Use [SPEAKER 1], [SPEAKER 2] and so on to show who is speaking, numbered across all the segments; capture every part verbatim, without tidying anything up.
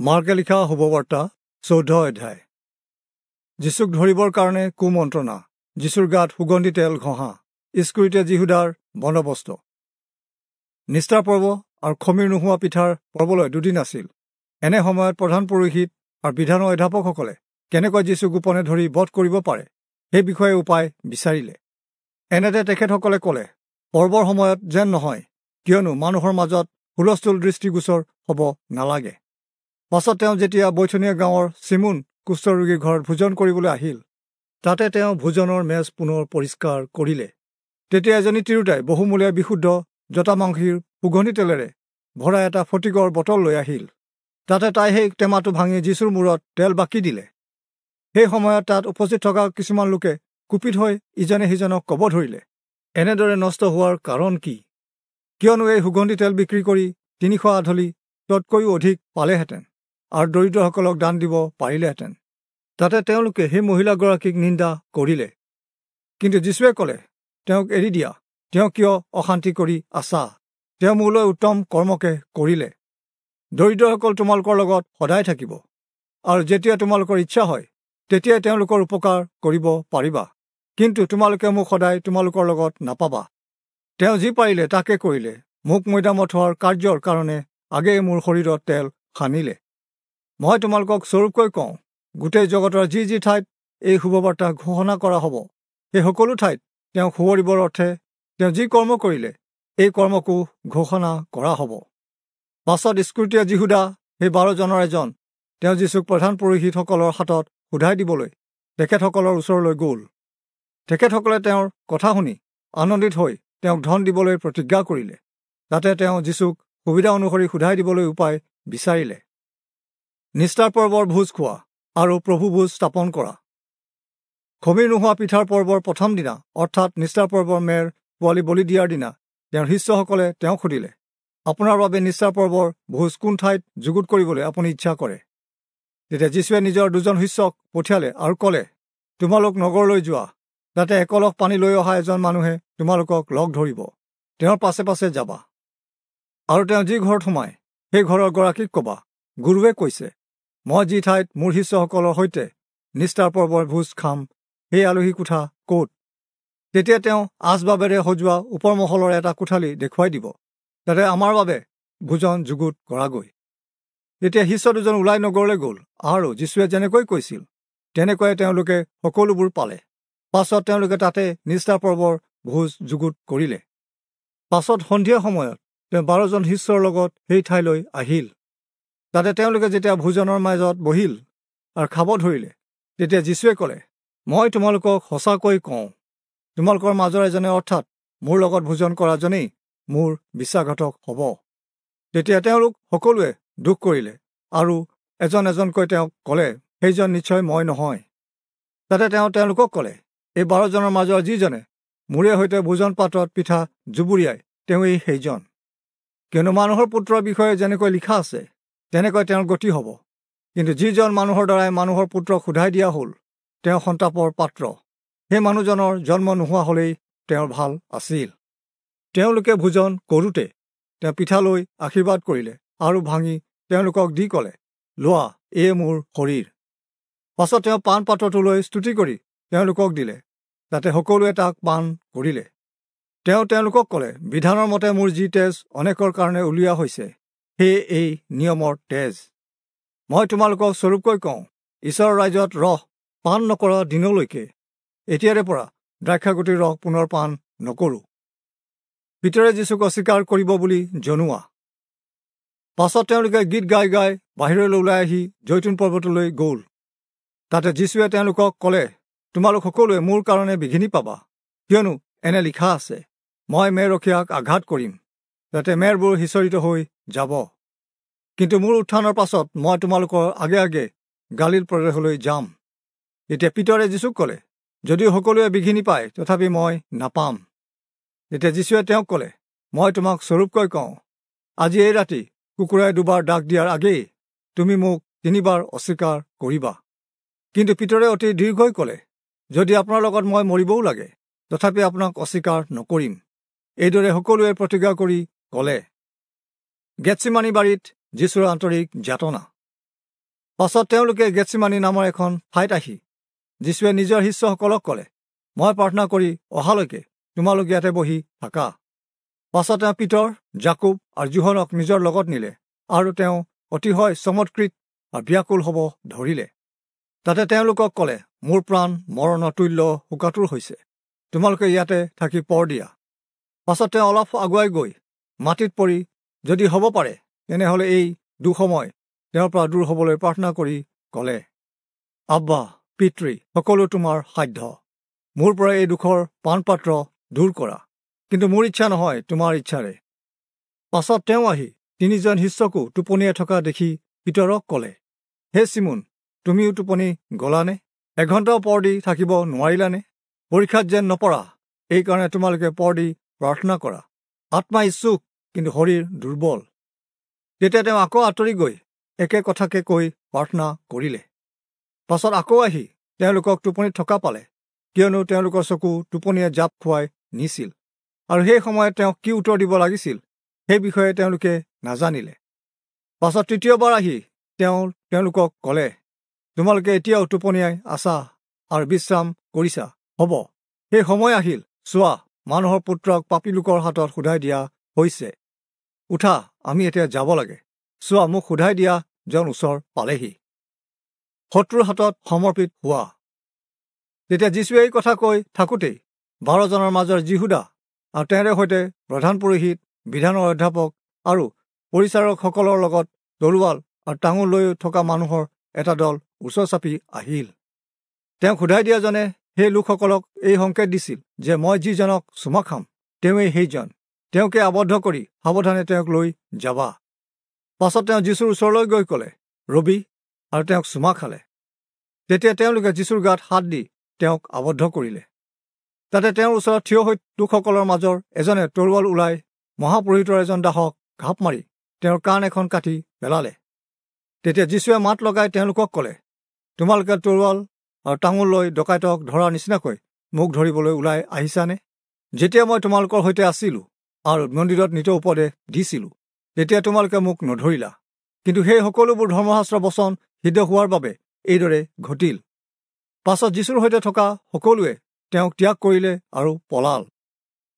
[SPEAKER 1] মাৰ্কে লিখা শুভবাৰ্তা চৈধ্য অধ্যায়। যীচুক ধৰিবৰ কাৰণে কুমন্ত্ৰণা, যীচুৰ গাত সুগন্ধি তেল ঘঁহা, ইস্কৰিতে যিহুদাৰ বন্দবস্ত। নিষ্ঠাৰ পৰ্ব আৰু খমীৰ নোহোৱা পিঠাৰ পৰ্বলৈ দুদিন আছিল। এনে সময়ত প্ৰধান পুৰোহিত আৰু বিধানৰ অধ্যাপকসকলে কেনেকৈ যীচু গোপনে ধৰি বধ কৰিব পাৰে সেই বিষয়ে উপায় বিচাৰিলে। এনেতে তেখেতসকলে ক'লে, পৰ্বৰ সময়ত যেন নহয়, কিয়নো মানুহৰ মাজত হুলস্থুল দৃষ্টিগোচৰ হ'ব নালাগে। পাছত তেওঁ যেতিয়া বৈথনীয়া গাঁৱৰ চিমোন কুষ্ঠৰোগীৰ ঘৰত ভোজন কৰিবলৈ আহিল, তাতে তেওঁ ভোজনৰ মেজ পুনৰ পৰিষ্কাৰ কৰিলে। তেতিয়া এজনী তিৰোতাই বহুমূলীয়া বিশুদ্ধ জটামাংসীৰ সুগন্ধি তেলেৰে ভৰা এটা ফটিকৰ বটল লৈ আহিল। তাতে তাই সেই টেমাটো ভাঙি যীচুৰ মূৰত তেল বাকি দিলে। সেই সময়ত তাত উপস্থিত থকা কিছুমান লোকে কুপিত হৈ ইজনে সিজনক ক'ব ধৰিলে, এনেদৰে নষ্ট হোৱাৰ কাৰণ কি? কিয়নো এই সুগন্ধি তেল বিক্ৰী কৰি তিনিশ আধলি ততকৈও অধিক পালেহেঁতেন আৰু দৰিদ্ৰসকলক দান দিব পাৰিলেহেঁতেন। তাতে তেওঁলোকে সেই মহিলাগৰাকীক নিন্দা কৰিলে। কিন্তু যীচুৱে ক'লে, তেওঁক এৰি দিয়া, তেওঁ কিয় অশান্তি কৰি আছা? তেওঁ মোলৈ উত্তম কৰ্মকে কৰিলে। দৰিদ্ৰসকল তোমালোকৰ লগত সদায় থাকিব, আৰু যেতিয়া তোমালোকৰ ইচ্ছা হয় তেতিয়াই তেওঁলোকৰ উপকাৰ কৰিব পাৰিবা, কিন্তু তোমালোকে মোক সদায় তোমালোকৰ লগত নাপাবা। তেওঁ যি পাৰিলে তাকে কৰিলে, মোক মৈদামত হোৱাৰ কাৰ্যৰ কাৰণে আগেয়ে মোৰ শৰীৰত তেল সানিলে। মই তোমালোকক স্বৰূপকৈ কওঁ, গোটেই জগতৰ যি যি ঠাইত এই শুভবাৰ্তা ঘোষণা কৰা হ'ব, সেই সকলো ঠাইত তেওঁক সোঁৱৰিবৰ অৰ্থে তেওঁ যি কৰ্ম কৰিলে এই কৰ্মকো ঘোষণা কৰা হ'ব। পাছত ইস্কৰিতীয়া যিহুদা, সেই বাৰজনৰ এজন, তেওঁ যীচুক প্ৰধান পুৰোহিতসকলৰ হাতত সোধাই দিবলৈ তেখেতসকলৰ ওচৰলৈ গ'ল। তেখেতসকলে তেওঁৰ কথা শুনি আনন্দিত হৈ তেওঁক ধন দিবলৈ প্ৰতিজ্ঞা কৰিলে। তাতে তেওঁ যীচুক সুবিধা অনুসৰি সোধাই দিবলৈ উপায় বিচাৰিলে। নিষ্ঠাৰ পৰ্বৰ ভোজ খোৱা আৰু প্ৰভু ভোজ স্থাপন কৰা। খমীৰ নোহোৱা পিঠাৰ পৰ্বৰ প্ৰথম দিনা, অৰ্থাৎ নিষ্ঠাৰ পৰ্বৰ মেৰ পোৱালি বলি দিয়াৰ দিনা, তেওঁৰ শিষ্যসকলে তেওঁক সুধিলে, আপোনাৰ বাবে নিষ্ঠাৰ পৰ্বৰ ভোজ কোন ঠাইত যুগুত কৰিবলৈ আপুনি ইচ্ছা কৰে? তেতিয়া যীচুৱে নিজৰ দুজন শিষ্যক পঠিয়ালে আৰু ক'লে, তোমালোক নগৰলৈ যোৱা, তাতে একলহ পানী লৈ অহা এজন মানুহে তোমালোকক লগ ধৰিব, তেওঁৰ পাছে পাছে যাবা। আৰু তেওঁ যি ঘৰত সোমায় সেই ঘৰৰ গৰাকীক ক'বা, গুৰুৱে কৈছে, মই যি ঠাইত মোৰ শিষ্যসকলৰ সৈতে নিষ্ঠাৰ পৰ্বৰ ভোজ খাম সেই আলহী কোঠা ক'ত? তেতিয়া তেওঁ আচবাবেৰে সজোৱা ওপৰ মহলৰ এটা কোঠালি দেখুৱাই দিব, তাতে আমাৰ বাবে ভোজন যুগুত কৰাগৈ। তেতিয়া শিষ্য দুজন ওলাই নগৰলৈ গ'ল, আৰু যীচুৱে যেনেকৈ কৈছিল তেনেকুৱাই তেওঁলোকে সকলোবোৰ পালে। পাছত তেওঁলোকে তাতে নিষ্ঠাৰ পৰ্বৰ ভোজ যুগুত কৰিলে। পাছত সন্ধিয়া সময়ত তেওঁ বাৰজন শিষ্যৰ লগত সেই ঠাইলৈ আহিল। তাতে তেওঁলোকে যেতিয়া ভোজনৰ মাজত বহিল আৰু খাব ধৰিলে, তেতিয়া যীচুৱে ক'লে, মই তোমালোকক সঁচাকৈ কওঁ, তোমালোকৰ মাজৰ এজনে, অৰ্থাৎ মোৰ লগত ভোজন কৰাজনেই মোৰ বিশ্বাসঘাতক হ'ব। তেতিয়া তেওঁলোক সকলোৱে দুখ কৰিলে আৰু এজন এজনকৈ তেওঁক ক'লে, সেইজন নিশ্চয় মই নহয়। তাতে তেওঁ তেওঁলোকক ক'লে, এই বাৰজনৰ মাজৰ যিজনে মোৰে সৈতে ভোজন পাত্ৰত পিঠা জুবুৰিয়াই তেওঁৱেই সেইজন। কিয়নো মানুহৰ পুত্ৰৰ বিষয়ে যেনেকৈ লিখা আছে তেনেকৈ তেওঁৰ গতি হ'ব, কিন্তু যিজন মানুহৰ দ্বাৰাই মানুহৰ পুত্ৰক সোধাই দিয়া হ'ল তেওঁ সন্তাপৰ পাত্ৰ। সেই মানুহজনৰ জন্ম নোহোৱা হ'লেই তেওঁৰ ভাল আছিল। তেওঁলোকে ভোজন কৰোঁতে তেওঁ পিঠা লৈ আশীৰ্বাদ কৰিলে আৰু ভাঙি তেওঁলোকক দি ক'লে, লোৱা, এয়ে মোৰ শৰীৰ। পাছত তেওঁ পান পাত্ৰটো লৈ স্তুতি কৰি তেওঁলোকক দিলে, তাতে সকলোৱে তাক পান কৰিলে। তেওঁ তেওঁলোকক ক'লে, বিধানৰ মতে মোৰ যি তেজ অনেকৰ কাৰণে উলিওৱা হৈছে, সেয়ে এই নিয়মৰ তেজ। মই তোমালোকক স্বৰূপকৈ কওঁ, ঈশ্বৰৰ ৰাজ্যত ৰস পান নকৰা দিনলৈকে এতিয়াৰে পৰা দ্ৰাক্ষাগুটিৰ ৰস পুনৰ পান নকৰোঁ। পিতৰে যীচুক অস্বীকাৰ কৰিব বুলি জনোৱা। পাছত তেওঁলোকে গীত গাই গাই বাহিৰলৈ ওলাই আহি জৈতুন পৰ্বতলৈ গ'ল। তাতে যীচুৱে তেওঁলোকক ক'লে, তোমালোক সকলোৱে মোৰ কাৰণে বিঘিনি পাবা, কিয়নো এনে লিখা আছে, মই মেৰৰখীয়াক আঘাত কৰিম, যাতে মেৰবোৰ সিঁচৰিত হৈ যাব। কিন্তু মোৰ উত্থানৰ পাছত মই তোমালোকৰ আগে আগে গালিল প্ৰদেশলৈ যাম। তেতিয়া পিতৰে যীচুক ক'লে, যদিও সকলোৱে বিঘিনি পায় তথাপি মই নাপাম। তেতিয়া যীচুৱে তেওঁক ক'লে, মই তোমাক স্বৰূপকৈ কওঁ, আজি এই ৰাতি কুকুৰাই দুবাৰ ডাক দিয়াৰ আগেয়ে তুমি মোক তিনিবাৰ অস্বীকাৰ কৰিবা। কিন্তু পিতৰে অতি দীৰ্ঘই ক'লে, যদি আপোনাৰ লগত মই মৰিবও লাগে তথাপি আপোনাক অস্বীকাৰ নকৰিম। এইদৰে সকলোৱে প্ৰতিজ্ঞা কৰি ক'লে। গেৎচিমানী বাৰীত যীচুৰ আন্তৰিক যাতনা। পাছত তেওঁলোকে গেৎচিমানি নামৰ এখন ঠাইত আহি যীশুৱে নিজৰ শিষ্যসকলক ক'লে, মই প্ৰাৰ্থনা কৰি অহালৈকে তোমালোক ইয়াতে বহি থাকা। পাছত তেওঁ পিতৰ, জাকুব আৰু যোহনক নিজৰ লগত নিলে আৰু তেওঁ অতিশয় চমৎকৃত আৰু ব্যাকুল হ'ব ধৰিলে। তাতে তেওঁলোকক ক'লে, মোৰ প্ৰাণ মৰণৰ তুল্য শোকাতুৰ হৈছে, তোমালোকে ইয়াতে থাকি পৰ দিয়া। পাছত তেওঁ অলপ আগুৱাই গৈ মাটিত পৰি যদি হ'ব পাৰে তেনেহ'লে এই দুঃসময় তেওঁৰ পৰা দূৰ হ'বলৈ প্ৰাৰ্থনা কৰি ক'লে, আব্বা পিতৃ, সকলো তোমাৰ সাধ্য, মোৰ পৰা এই দুখৰ পানপাত্ৰ দূৰ কৰা, কিন্তু মোৰ ইচ্ছা নহয়, তোমাৰ ইচ্ছাৰে। পাছত তেওঁ আহি তিনিজন শিষ্যকো টোপনিয়াই থকা দেখি পিতৰক ক'লে, হে চিমোন, তুমিও টোপনি গলানে? এঘণ্টাও পৰ দি থাকিব নোৱাৰিলানে? পৰীক্ষাত যেন নপৰা, এইকাৰণে তোমালোকে পৰ দি প্ৰাৰ্থনা কৰা। আত্মা ইচ্ছুক, কিন্তু শৰীৰ দুৰ্বল। তেতিয়া তেওঁ আকৌ আঁতৰি গৈ একে কথাকে কৈ প্ৰাৰ্থনা কৰিলে। পাছত আকৌ আহি তেওঁলোকক টোপনিত থকা পালে, কিয়নো তেওঁলোকৰ চকু টোপনিয়ে জাপ খুৱাই নিছিল, আৰু সেই সময়ত তেওঁক কি উত্তৰ দিব লাগিছিল সেই বিষয়ে তেওঁলোকে নাজানিলে। পাছত তৃতীয়বাৰ আহি তেওঁ তেওঁলোকক ক'লে, তোমালোকে এতিয়াও টোপনিয়াই আছা আৰু বিশ্ৰাম কৰিছা? হ'ব, সেই সময় আহিল, চোৱা, মানুহৰ পুত্ৰক পাপী লোকৰ হাতত সোধাই দিয়া হৈছে। উঠা, আমি এতিয়া যাব লাগে। চোৱা, মোক সোধাই দিয়া জন ওচৰ পালেহি। শত্ৰুৰ হাতত সমৰ্পিত হোৱা। তেতিয়া যীশুৱে এই কথা কৈ থাকোঁতেই বাৰজনৰ মাজৰ যিহুদা আৰু তেওঁৰে সৈতে প্ৰধান পুৰোহিত, বিধানৰ অধ্যাপক আৰু পৰিচাৰকসকলৰ লগত তৰোৱাল আৰু টাঙোন লৈ থকা মানুহৰ এটা দল ওচৰ চাপি আহিল। তেওঁক সোধাই দিয়াজনে সেই লোকসকলক এই সংকেত দিছিল যে মই যিজনক চুমা খাম তেওঁৱেই সেইজন, তেওঁকে আবদ্ধ কৰি সাৱধানে তেওঁক লৈ যাবা। পাছত তেওঁ যীশুৰ ওচৰলৈ গৈ ক'লে, ৰবি, আৰু তেওঁক চুমা খালে। তেতিয়া তেওঁলোকে যীশুৰ গাত হাত দি তেওঁক আবদ্ধ কৰিলে। তাতে তেওঁৰ ওচৰত থিয় হৈ লোকসকলৰ মাজৰ এজনে তৰোৱাল ওলাই মহাপুৰোহিতৰ এজন দাসক ঘাপ মাৰি তেওঁৰ কাণ এখন কাটি পেলালে। তেতিয়া যীশুৱে মাত লগাই তেওঁলোকক ক'লে, তোমালোকে তৰোৱাল আৰু টাঙোন লৈ ডকাইতক ধৰাৰ নিচিনাকৈ মোক ধৰিবলৈ ওলাই আহিছানে? যেতিয়া মই তোমালোকৰ সৈতে আছিলোঁ আৰু মন্দিৰত নিতৌ উপদেশ দিছিলোঁ, তেতিয়া তোমালোকে মোক নধৰিলা। কিন্তু সেই সকলোবোৰ ধৰ্মশাস্ত্ৰ বচন সিদ্ধ হোৱাৰ বাবে এইদৰে ঘটিল। পাছত যীশুৰ সৈতে থকা সকলোৱে তেওঁক ত্যাগ কৰিলে আৰু পলাল।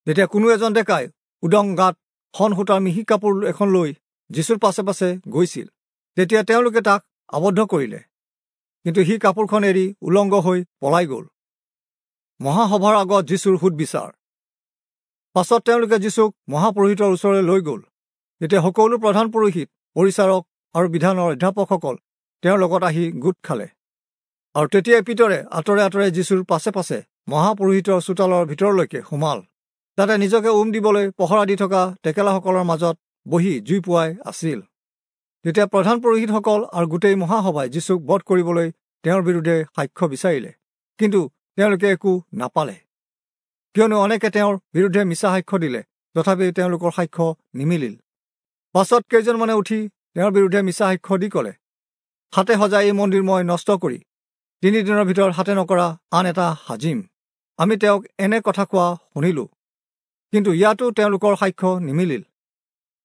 [SPEAKER 1] তেতিয়া কোনো এজন ডেকাই উদং গাত শন সূতাৰ মিহি কাপোৰ এখন লৈ যীশুৰ পাছে পাছে গৈছিল। তেতিয়া তেওঁলোকে তাক আবদ্ধ কৰিলে, কিন্তু সি কাপোৰখন এৰি উলংগ হৈ পলাই গ'ল। মহাসভাৰ আগত যীশুৰ সোধ-বিচাৰ। পাছত তেওঁলোকে যীশুক মহাপুৰোহিতৰ ওচৰলৈ লৈ গ'ল। তেতিয়া সকলো প্ৰধান পুৰোহিত, পৰিচাৰক আৰু বিধানৰ অধ্যাপকসকল তেওঁৰ লগত আহি গোট খালে। আৰু তেতিয়াই পিতৰে আঁতৰে আঁতৰে যীশুৰ পাছে পাছে মহাপুৰোহিতৰ চোতালৰ ভিতৰলৈকে সোমাল। তাতে নিজকে উম দিবলৈ পহৰা দি থকা টেকেলাসকলৰ মাজত বহি জুই পুৱাই আছিল। তেতিয়া প্ৰধান পুৰোহিতসকল আৰু গোটেই মহাসভাই যীশুক বধ কৰিবলৈ তেওঁৰ বিৰুদ্ধে সাক্ষ্য বিচাৰিলে, কিন্তু তেওঁলোকে একো নাপালে, কিয়নো অনেকে তেওঁৰ বিৰুদ্ধে মিছা সাক্ষ্য দিলে, তথাপি তেওঁলোকৰ সাক্ষ্য নিমিলিল। পাছত কেইজনমানে উঠি তেওঁৰ বিৰুদ্ধে মিছা সাক্ষ্য দি ক'লে, হাতে সজা এই মন্দিৰ মই নষ্ট কৰি তিনিদিনৰ ভিতৰত হাতে নকৰা আন এটা সাজিম। আমি তেওঁক এনে কথা কোৱা শুনিলোঁ, কিন্তু ইয়াতো তেওঁলোকৰ সাক্ষ্য নিমিলিল।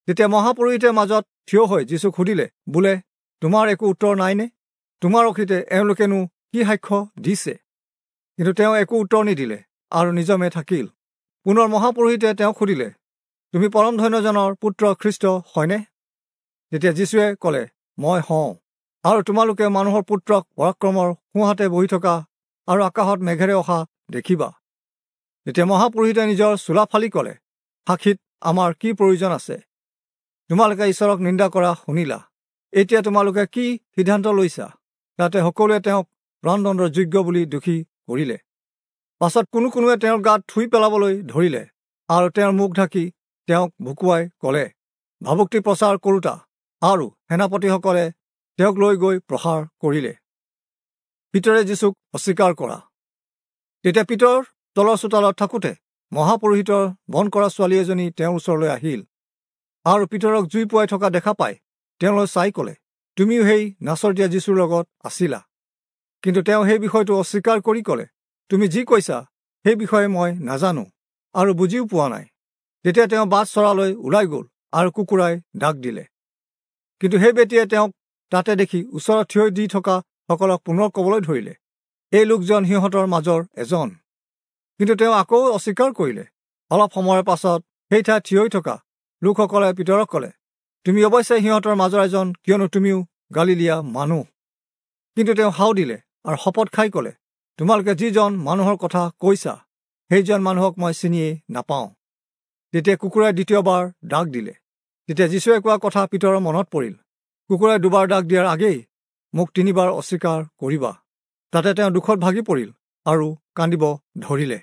[SPEAKER 1] তেতিয়া মহাপুৰোহিতে মাজত থিয় হৈ যীশুক সুধিলে, বোলে, তোমাৰ একো উত্তৰ নাইনে? তোমাৰ অখিতে এওঁলোকেনো কি সাক্ষ্য দিছে? কিন্তু তেওঁ একো উত্তৰ নিদিলে আৰু নিজমে থাকিল। পুনৰ মহাপুৰোহিতে তেওঁক সুধিলে, তুমি পৰম ধন্যজনৰ পুত্ৰ খ্ৰীষ্ট হয়নে? তেতিয়া যীশুৱে ক'লে, মই হওঁ, আৰু তোমালোকে মানুহৰ পুত্ৰক পৰাক্ৰমৰ সোঁহাতে বহি থকা আৰু আকাশত মেঘেৰে অহা দেখিবা। তেতিয়া মহাপুৰোহিতে নিজৰ চোলা ফালি ক'লে, সাক্ষীত আমাৰ কি প্ৰয়োজন আছে? তোমালোকে ঈশ্বৰক নিন্দা কৰা শুনিলা, এতিয়া তোমালোকে কি সিদ্ধান্ত লৈছা? তাতে সকলোৱে তেওঁক প্ৰাণদণ্ডৰ যোগ্য বুলি দোষী কৰিলে। পাছত কোনো কোনোৱে তেওঁৰ গাত থুই পেলাবলৈ ধৰিলে আৰু তেওঁৰ মুখ ঢাকি তেওঁক ভুকুৱাই ক'লে, ভাবুক্তি প্ৰচাৰ কৰোঁতা। আৰু সেনাপতিসকলে তেওঁক লৈ গৈ প্ৰহাৰ কৰিলে। পিতৰে যীশুক অস্বীকাৰ কৰা। তেতিয়া পিতৰ তলৰ চোতালত থাকোঁতে মহাপুৰোহিতৰ বন কৰা ছোৱালী এজনী তেওঁৰ ওচৰলৈ আহিল আৰু পিতৰক জুই পুৱাই থকা দেখা পাই তেওঁলৈ চাই ক'লে, তুমিও সেই নাচৰতীয়া যীশুৰ লগত আছিলা। কিন্তু তেওঁ সেই বিষয়টো অস্বীকাৰ কৰি ক'লে, তুমি যি কৈছা সেই বিষয়ে মই নাজানো আৰু বুজিও পোৱা নাই। তেতিয়া তেওঁ বাট চৰালৈ ওলাই গ'ল আৰু কুকুৰাই ডাক দিলে। কিন্তু সেই বেটীয়ে তেওঁক তাতে দেখি ওচৰত থিয় দি থকা সকলক পুনৰ ক'বলৈ ধৰিলে, এই লোকজন সিহঁতৰ মাজৰ এজন। কিন্তু তেওঁ আকৌ অস্বীকাৰ কৰিলে। অলপ সময়ৰ পাছত সেই ঠাইত থিয় হৈ থকা লোকসকলে পিতৰক ক'লে, তুমি অৱশ্যে সিহঁতৰ মাজৰ এজন, কিয়নো তুমিও গালিলীয়া মানুহ। কিন্তু তেওঁ হাও দিলে আৰু শপত খাই ক'লে, তোমালোকে যিজন মানুহৰ কথা কৈছা সেইজন মানুহক মই চিনিয়েই নাপাওঁ। তেতিয়া কুকুৰাই দ্বিতীয়বাৰ ডাক দিলে। তেতিয়া যীশুৱে কোৱা কথা পিতৰৰ মনত পৰিল, কুকুৰাই দুবাৰ ডাক দিয়াৰ আগেই মোক তিনিবাৰ অস্বীকাৰ কৰিবা। তাতে তেওঁ দুখত ভাগি পৰিল আৰু কান্দিব ধৰিলে।